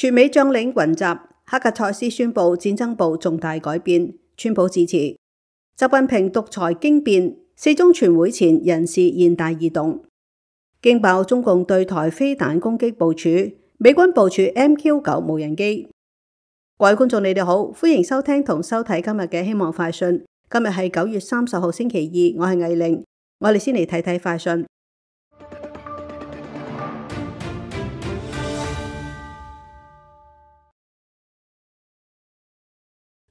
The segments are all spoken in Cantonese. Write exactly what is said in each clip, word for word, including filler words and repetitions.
全美將領雲集，黑格塞斯宣布戰爭部重大改變，川普致辭。習近平獨裁驚變，四中全會前人事現大異動。驚爆中共對台飛彈攻擊部署，美軍部署 M Q 九無人機。各位觀眾，你哋好，歡迎收聽同收睇今日嘅希望快訊。今日係九月三十號星期二，我係魏玲。我哋先嚟睇睇快訊。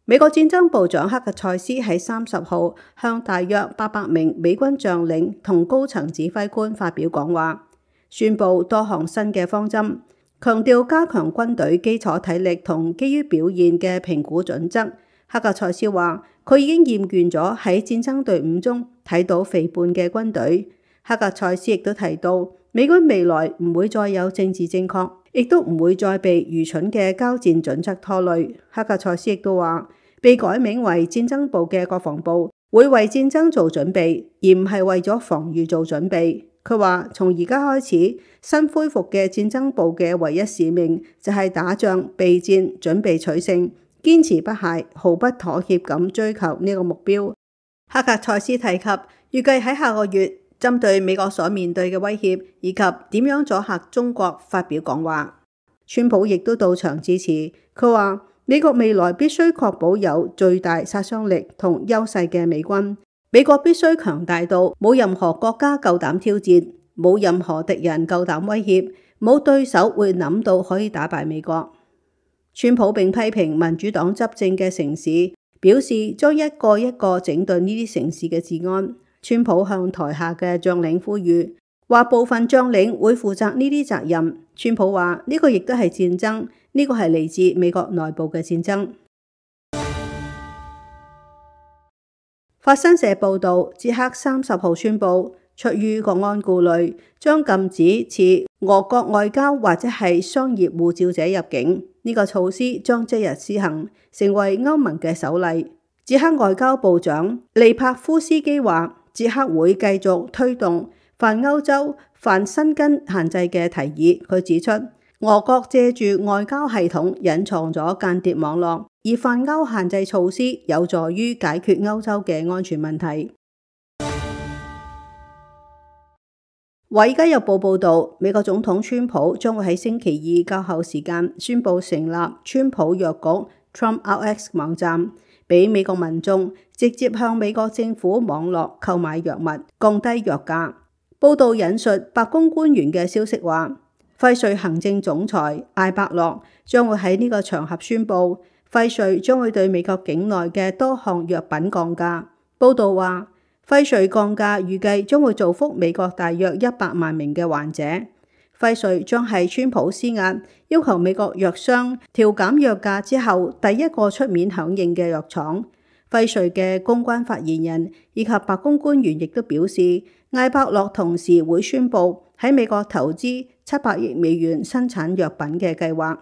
美國戰爭部長黑格塞斯喺三十號向大約八百名美軍將領同高層指揮官發表講話，宣布多項新嘅方針，強調加強軍隊基礎體力同基於表現嘅評估準則。黑格塞斯話，佢已經厭倦咗喺戰爭隊伍中睇到肥胖嘅軍隊。黑格塞斯亦都提到，美軍未來唔會再有政治正確，亦都唔會再被愚蠢嘅交戰準則拖累。黑格塞斯亦都話，被改名為戰爭部嘅國防部會為戰爭做準備，而唔係為咗防禦做準備。佢話，從而家開始，新恢復嘅戰爭部嘅唯一使命就係打仗、備戰、準備取勝，堅持不懈、毫不妥協咁追求呢個目標。黑格塞斯提及，預計喺下個月針對美國所面對嘅威脅以及點樣阻嚇中國發表講話。川普亦都到場致辭，佢話，美國未來必須確保有最大殺傷力同優勢嘅美軍。美國必須強大到冇任何國家夠膽挑戰，冇任何敵人夠膽威脅，冇對手會諗到可以打敗美國。川普並批評民主黨執政嘅城市，表示將一個一個整頓呢啲城市嘅治安。川普向台下嘅將領呼籲，話部分將領會負責呢啲責任。川普話呢個亦都係戰爭。呢個係嚟自美國內部嘅戰爭。法新社報導，捷克三十號宣布，出於國安顧慮，將禁止持俄國外交或者係商業護照者入境。呢、這個措施將即日施行，成為歐盟嘅首例。捷克外交部長利帕夫斯基話，捷克會繼續推動泛歐洲、泛申根限制嘅提議。佢指出，俄國借住外交系統隱藏咗間諜網絡，而泛歐限制措施有助於解決歐洲嘅安全問題。華爾街日報報道，美國總統川普將會喺星期二較後時間宣布成立川普藥局 Trump R X 網站，俾美國民眾直接向美國政府網絡購買藥物，降低藥價。報道引述白宮官員嘅消息話，輝瑞行政總裁艾伯洛將會喺呢個場合宣布，輝瑞將會對美國境內嘅多項藥品降價。報道話，輝瑞降價預計將會造福美國大約一百萬名嘅患者。輝瑞將係川普施壓，要求美國藥商調減藥價之後第一個出面響應嘅藥廠。輝瑞嘅公關發言人以及白宮官員亦都表示，艾伯洛同時會宣布喺美國投資七百億美元生產藥品嘅計劃。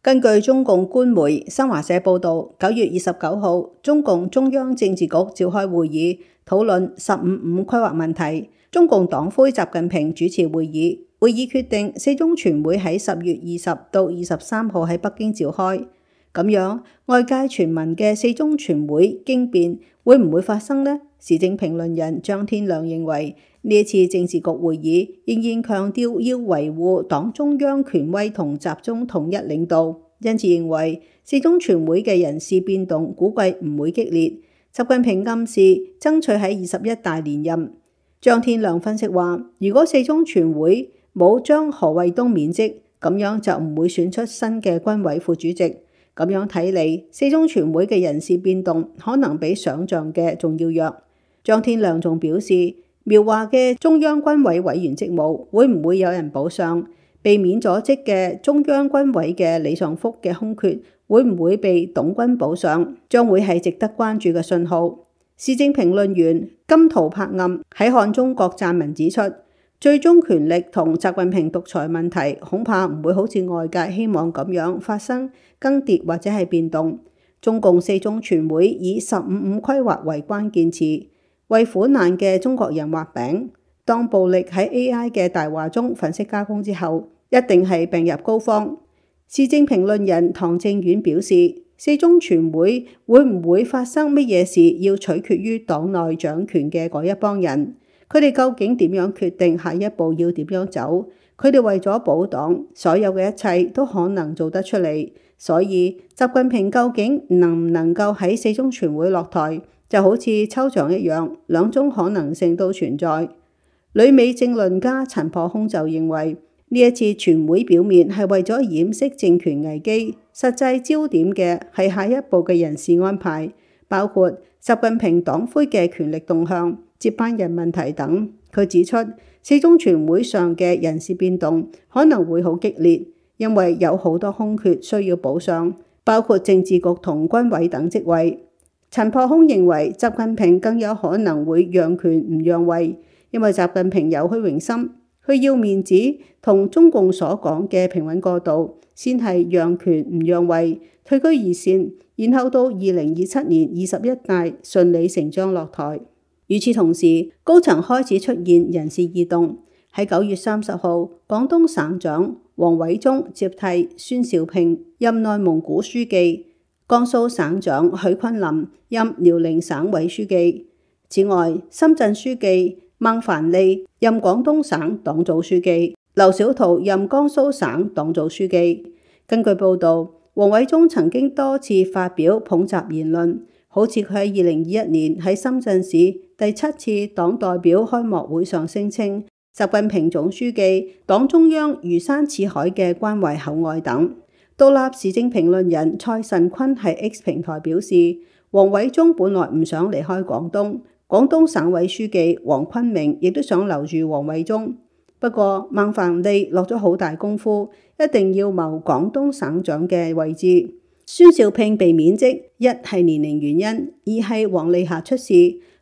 根據中共官媒新華社報導，九月二十九號，中共中央政治局召開會議，討論十五五規劃問題。中共黨魁習近平主持會議，會議決定四中全會喺十月二十到二十三號喺北京召開。咁樣，外界傳聞嘅四中全會驚變會唔會發生呢？時政評論人張天亮認為，呢一次政治局會議仍然強調要維護黨中央權威同集中統一領導，因此認為四中全會嘅人事變動估計唔會激烈。習近平暗示爭取喺二十一大連任。張天亮分析話，如果四中全會冇將何衛東免職，咁樣就唔會選出新嘅軍委副主席。咁樣睇嚟，四中全會嘅人事變動可能比想象嘅仲要弱。張天亮仲表示，描畫嘅中央軍委委員職務會唔會有人補上？被免咗職嘅中央軍委嘅李尚福嘅空缺會唔會被董軍補上？將會係值得關注嘅信號。時政評論員金圖柏暗喺看中國撰文指出，最終權力同習近平獨裁問題恐怕唔會好似外界希望咁樣發生更迭或者係變動。中共四中全會以十五五規劃為關鍵詞，為苦難嘅中國人畫餅。當暴力喺 A I 嘅大話中粉飾加工之後，一定係病入膏肓。時政評論人唐正遠表示，四中全會會唔會發生乜嘢事，要取決於黨內掌權嘅嗰一幫人。佢哋究竟點樣決定下一步要點樣走？佢哋為咗保黨，所有嘅一切都可能做得出嚟。所以習近平究竟能唔能夠喺四中全會落台，就好似抽獎一樣，兩種可能性都存在。旅美政論家陳破空就認為，呢一次全會表面係為咗掩飾政權危機，實際焦點嘅係下一步嘅人事安排，包括習近平黨魁嘅權力動向、接班人問題等。佢指出，四中全會上嘅人事變動可能會好激烈，因為有好多空缺需要補上，包括政治局同軍委等職位。陳破空認為，習近平更有可能會讓權唔讓位，因為習近平有虛榮心，佢要面子同中共所講嘅平穩過渡，先係讓權唔讓位，退居二線，然後到二零二七年二十一大順理成章落台。與此同時，高層開始出現人事異動。喺九月三十號，廣東省長王偉中接替孫兆平任內蒙古書記，江蘇省長許昆林任遼寧省委書記。此外，深圳書記孟凡利任廣東省黨組書記，劉小圖任江蘇省黨組書記。根據報導，王偉中曾經多次發表捧習言論，好似佢喺二零二一年喺深圳市第七次黨代表開幕會上聲稱，習近平總書記黨中央如山似海嘅關懷厚愛等。獨立時政評論人蔡慎坤喺 X 平台表示，王偉中本來唔想離開廣東，廣東省委書記黃坤明亦都想留住王偉中，不過孟凡利落咗好大功夫，一定要謀廣東省長嘅位置。孫兆平被免職，一係年齡原因，二係王利霞出事，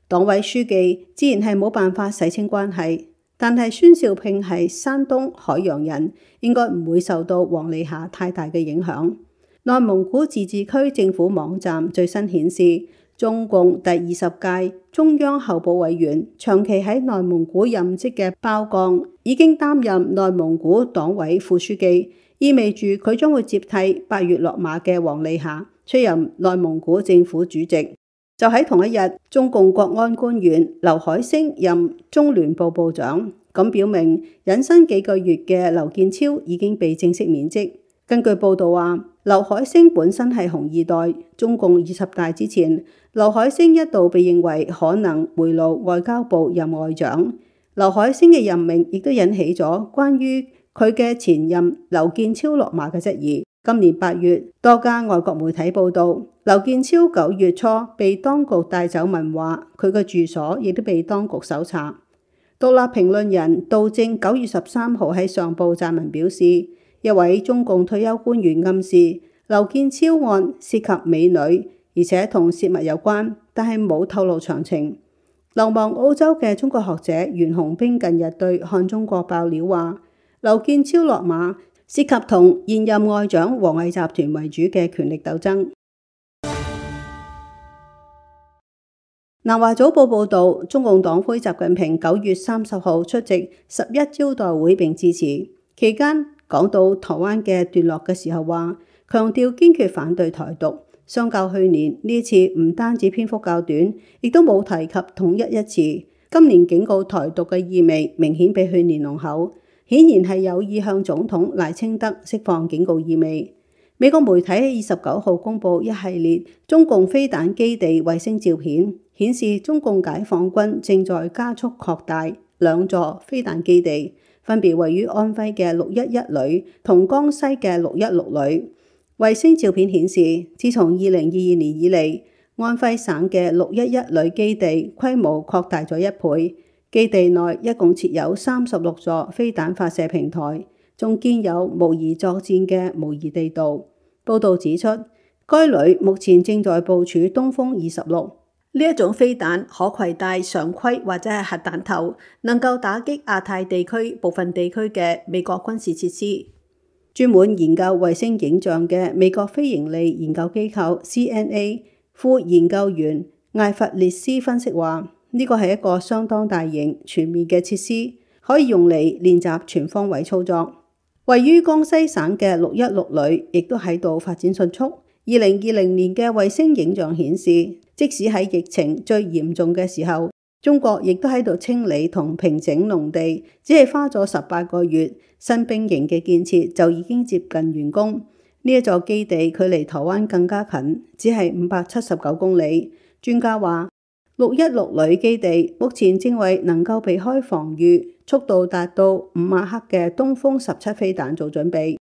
黨委書記自然係冇辦法洗清關係。但係孫兆平係山東海陽人，應該唔會受到王利霞太大嘅影響。內蒙古自治區政府網站最新顯示，中共第二十屆中央候補委員、長期喺內蒙古任職嘅包鋼已經擔任內蒙古黨委副書記，意味住佢將會接替八月落馬嘅王利霞出任內蒙古政府主席。就喺同一日，中共國安官員劉海星任中聯部部長，咁表明隱身幾個月嘅劉建超已經被正式免職。根據報道話，劉海星本身係紅二代，中共二十大之前，劉海星一度被認為可能回爐外交部任外長。劉海星嘅任命亦都引起咗關於佢嘅前任劉建超落馬嘅質疑。今年八月，多家外國媒體報道，劉建超九月初被當局帶走問話，佢嘅住所亦都被當局搜查。獨立評論人杜正九月十三號喺上報撰文表示，一位中共退休官員暗示劉建超案涉及美女，而且同洩密有關，但係冇透露詳情。流亡澳洲嘅中國學者袁洪兵近日對看中國爆料話，劉建超落馬涉及同現任外長王毅集團為主嘅權力鬥爭。南華早報報導，中共黨魁習近平九月三十號出席十一招待會並致辭，期間講到台灣嘅段落嘅時候話，強調堅決反對台獨。相較去年，呢次唔單止篇幅較短，亦都冇提及統一一詞。今年警告台獨嘅意味明顯比去年濃厚，顯然係有意向總統賴清德釋放警告意味。美國媒體喺二十九號公佈一系列中共飛彈基地衛星照片，顯示中共解放軍正在加速擴大兩座飛彈基地，分別位於安徽嘅六一一旅同江西嘅六一六旅。衛星照片顯示，自從二零二二年以嚟，安徽省嘅六一一旅基地規模擴大咗一倍，基地內一共設有三十六座飛彈發射平台，仲建有模擬作戰嘅模擬地道。報導指出，該旅目前正在部署東風二十六，呢一種飛彈可攜帶常規或者係核彈頭，能夠打擊亞太地區部分地區嘅美國軍事設施。專門研究衛星影像嘅美國非營利研究機構 C N A 副研究員艾弗列斯分析話，呢呢個係一個相當大型全面嘅設施，可以用嚟練習全方位操作。位於江西省嘅六一六旅亦都喺度發展迅速。二零二零年嘅衛星影像顯示，即使喺疫情最嚴重嘅時候，中國亦都喺度清理同平整農地，只係花咗十八個月，新兵營嘅建設就已經接近完工。呢一座基地距離台灣更加近，只係五百七十九公里。專家話，六一六旅基地目前正為能夠避開防禦、速度達到五馬赫嘅東風十七飛彈做準備。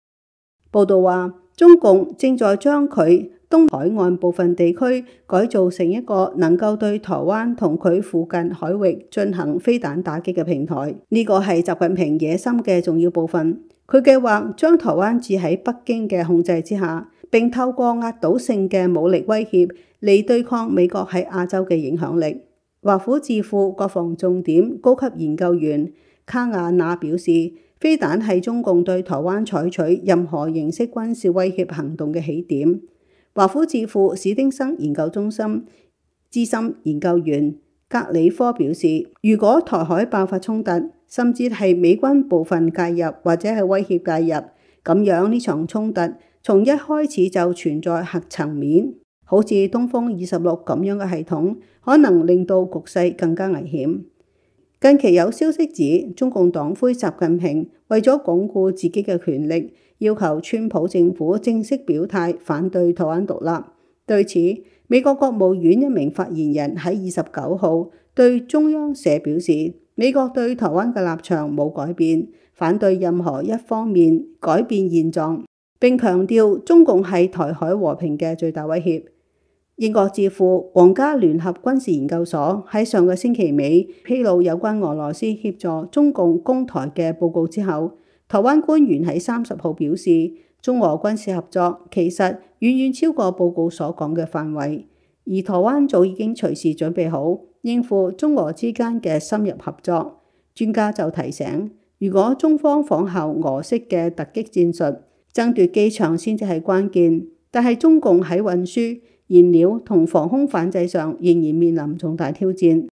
報道話，中共正在將佢東海岸部分地區改造成一個能夠對台灣同佢附近海域進行飛彈打擊嘅平台。呢個係習近平野心嘅重要部分。佢計劃將台灣置喺北京嘅控制之下，並透過壓倒性嘅武力威脅嚟對抗美國喺亞洲嘅影響力。華府智庫國防重點高級研究員卡亞納表示，飛彈係中共對台灣採取任何形式軍事威脅行動嘅起點。華府智庫史丁生研究中心資深研究員格里科表示，如果台海爆發衝突，甚至係美軍部分介入或者係威脅介入，咁樣呢場衝突從一開始就存在核層面，好似東風二十六咁樣嘅系統，可能令到局勢更加危險。近期有消息指，中共黨魁習近平為咗鞏固自己嘅權力，要求川普政府正式表態反對台灣獨立。對此，美國國務院一名發言人喺二十九號對中央社表示，美國對台灣嘅立場冇改變，反對任何一方面改變現狀，並強調中共係台海和平嘅最大威脅。英國智庫皇家聯合軍事研究所喺上個星期尾披露有關俄羅斯協助中共攻台嘅報告之後，台灣官員喺三十號表示，中俄軍事合作其實遠遠超過報告所講嘅範圍，而台灣早已經隨時準備好應付中俄之間嘅深入合作。專家就提醒，如果中方仿效俄式嘅突擊戰術，爭奪機場先至係關鍵，但係中共喺運輸、燃料同防空反制上仍然面臨重大挑戰。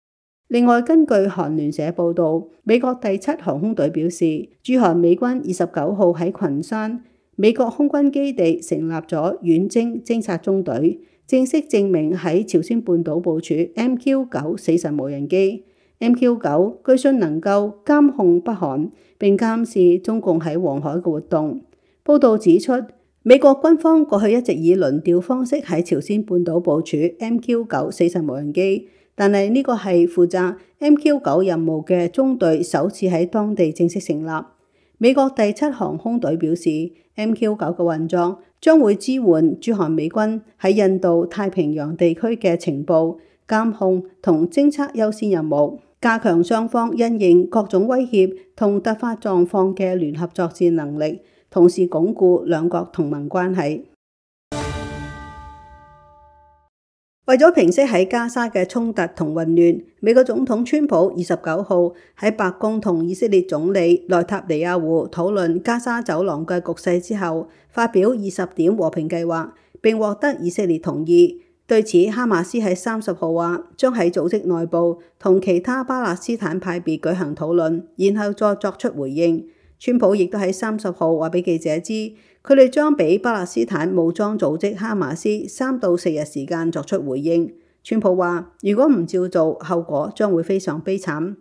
另外，根據韓聯社報導，美國第七航空隊表示，駐韓美軍二十九號喺群山美國空軍基地成立咗遠征偵察中隊，正式證明喺朝鮮半島部署 M Q 九死神無人機。M Q 九據信能夠監控北韓並監視中共喺黃海嘅活動。報導指出，美國軍方過去一直以輪調方式喺朝鮮半島部署 M Q 九死神無人機，但係呢個係負責 M Q 九任務嘅中隊首次喺當地正式成立。美國第七航空隊表示， M Q 九嘅運作將會支援駐韓美軍喺印度太平洋地區嘅情報、監控同偵測優先任務，加強雙方因應各種威脅同突發狀況嘅聯合作戰能力，同時鞏固兩國同盟關係。為咗平息喺加沙嘅衝突同混亂，美國總統川普二十九號喺白宮同以色列總理內塔尼亞胡討論加沙走廊嘅局勢之後，發表二十點和平計劃，並獲得以色列同意。對此，哈馬斯喺三十號話將喺組織內部同其他巴勒斯坦派別舉行討論，然後再作出回應。川普亦都喺三十號話俾記者知，佢哋將俾巴勒斯坦武裝組織哈馬斯三到四日時間作出回應。川普話，如果唔照做，後果將會非常悲慘。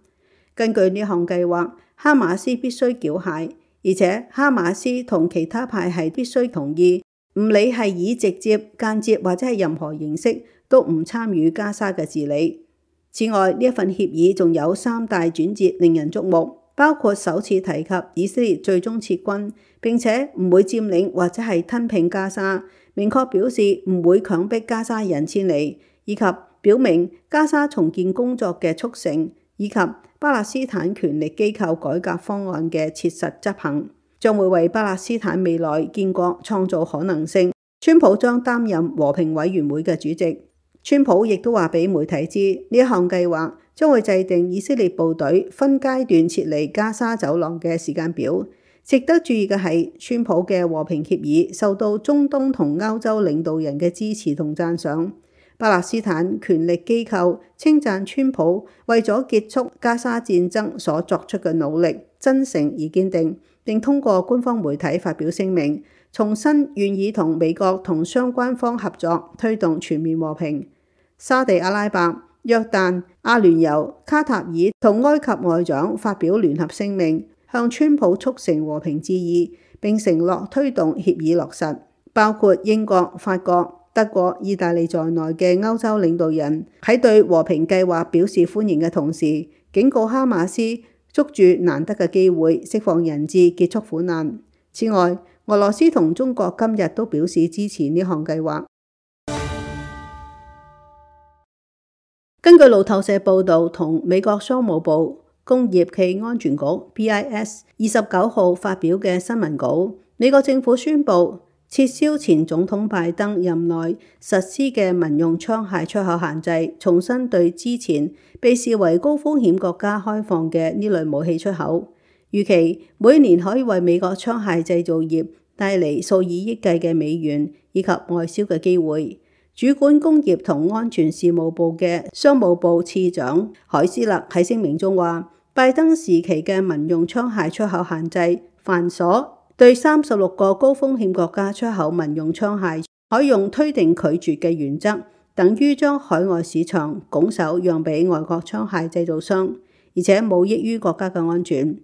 根據呢項計劃，哈馬斯必須繳械，而且哈馬斯同其他派系必須同意，唔理係以直接、間接或者係任何形式，都唔參與加沙嘅治理。此外，呢一份協議仲有三大轉折令人矚目。包括首次提及以色列最終撤軍，並且唔會佔領或者係吞併加沙，明確表示唔會強迫加沙人遷離，以及表明加沙重建工作嘅促成，以及巴勒斯坦權力機構改革方案嘅切實執行，將會為巴勒斯坦未來建國創造可能性。川普將擔任和平委員會嘅主席。川普亦都話俾媒體知，呢一項計劃將會制定以色列部隊分階段撤離加沙走廊嘅時間表。值得注意嘅係，川普嘅和平協議受到中東同歐洲領導人嘅支持同讚賞。巴勒斯坦權力機構稱讚川普為咗結束加沙戰爭所作出嘅努力真誠而堅定，並通過官方媒體發表聲明，重申願意同美國同相關方合作，推動全面和平。沙地阿拉伯、約旦、阿聯酋、卡塔爾同埃及外長發表聯合聲明，向川普促成和平致意，並承諾推動協議落實。包括英國、法國、德國、意大利在內嘅歐洲領導人喺對和平計劃表示歡迎嘅同時，警告哈馬斯捉住難得嘅機會釋放人質，結束苦難。此外，俄羅斯同中國今日都表示支持呢項計劃。根據路透社報導，同美國商務部工業暨安全局 B I S 二十九號發表嘅新聞稿，美國政府宣布撤銷前總統拜登任內實施嘅民用槍械出口限制，重新對之前被視為高風險國家開放嘅呢類武器出口，預期每年可以為美國槍械製造業帶嚟數以億計嘅美元以及外銷嘅機會。主管工業同安全事務部嘅商務部次長海斯勒喺聲明中話，拜登時期嘅民用槍械出口限制繁瑣，對三十六個高風險國家出口民用槍械，採用推定拒絕嘅原則，等於將海外市場拱手讓俾外國槍械製造商，而且冇益於國家嘅安全。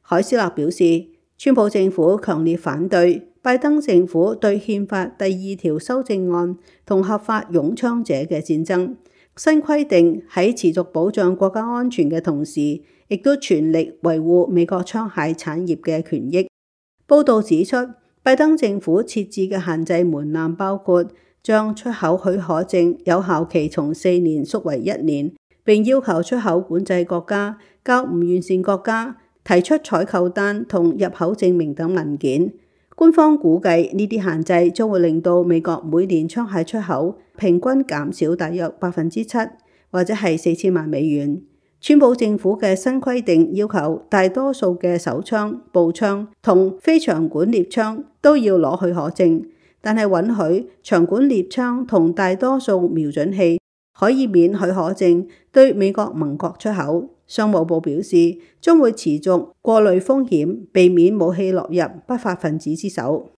海斯勒表示，川普政府強烈反對拜登政府對憲法第二條修正案同合法擁槍者嘅戰爭。新規定喺持續保障國家安全嘅同時，亦都全力維護美國槍械產業嘅權益。報導指出，拜登政府設置嘅限制門檻包括將出口許可證有效期從四年縮為一年，並要求出口管制國家較唔完善國家提出採購單同入口證明等文件。官方估計呢啲限制將會令到美國每年槍械出口平均減少大約百分之七，或者係四千萬美元。川普政府嘅新規定要求大多數嘅手槍、步槍同非長管獵槍都要攞許可證，但係允許長管獵槍同大多數瞄準器可以免許可證對美國盟國出口。商務部表示將會持續過濾風險，避免武器落入不法分子之手。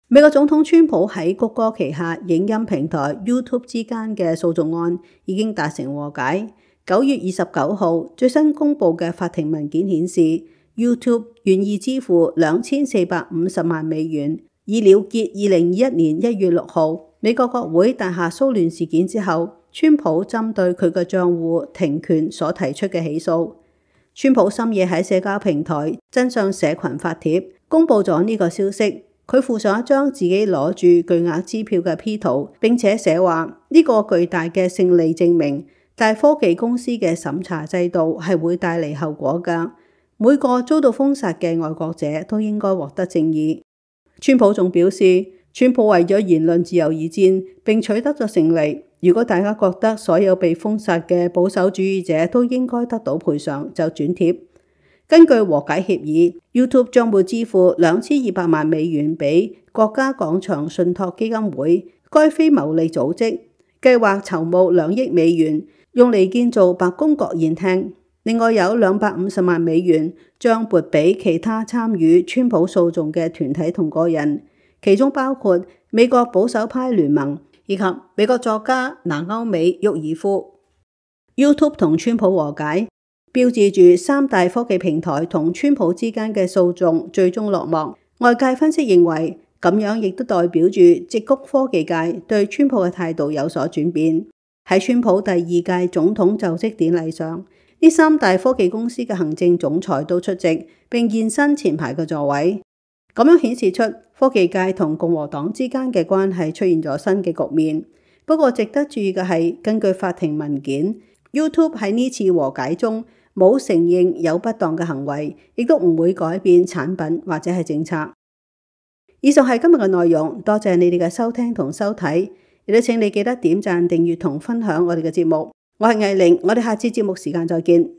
美國總統川普喺谷歌旗下影音平台 YouTube 之間嘅訴訟案已經達成和解。九月二十九號最新公布嘅法庭文件顯示 ，YouTube 願意支付兩千四百五十萬美元，以了結二零二一年一月六號美國國會大廈騷亂事件之後，川普針對佢嘅賬戶停權所提出嘅起訴。川普深夜喺社交平台真相社群發帖，公布咗呢個消息。佢附上一張自己攞住巨額支票嘅 P 圖，並且寫話呢個巨大嘅勝利證明，大科技公司嘅審查制度係會帶嚟後果㗎。每個遭到封殺嘅愛國者都應該獲得正義。川普仲表示，川普為咗言論自由而戰，並取得咗勝利。如果大家覺得所有被封殺嘅保守主義者都應該得到賠償，就轉貼。根據和解協議 ，YouTube 將會支付兩千二百萬美元俾國家廣場信託基金會，該非牟利組織計劃籌募兩億美元，用嚟建造白宮國宴廳。另外有兩百五十萬美元將撥俾其他參與川普訴訟嘅團體同個人，其中包括美國保守派聯盟以及美國作家南歐美沃爾夫。YouTube 同川普和解，標誌住三大科技平台同川普之間嘅訴訟最終落幕。外界分析認為，咁樣亦都代表住矽谷科技界對川普嘅態度有所轉變。喺川普第二屆總統就職典禮上，呢三大科技公司嘅行政總裁都出席，並現身前排嘅座位。咁樣顯示出科技界同共和黨之間嘅關係出現咗新嘅局面。不過值得注意嘅係，根據法庭文件， YouTube 喺呢次和解中冇承認有不當嘅行為，亦都唔會改變產品或者係政策。以上係今日嘅內容，多謝你哋嘅收聽同收睇，亦都請你記得點讚、訂閱同分享我哋嘅節目。我係藝玲，我哋下次節目時間再見。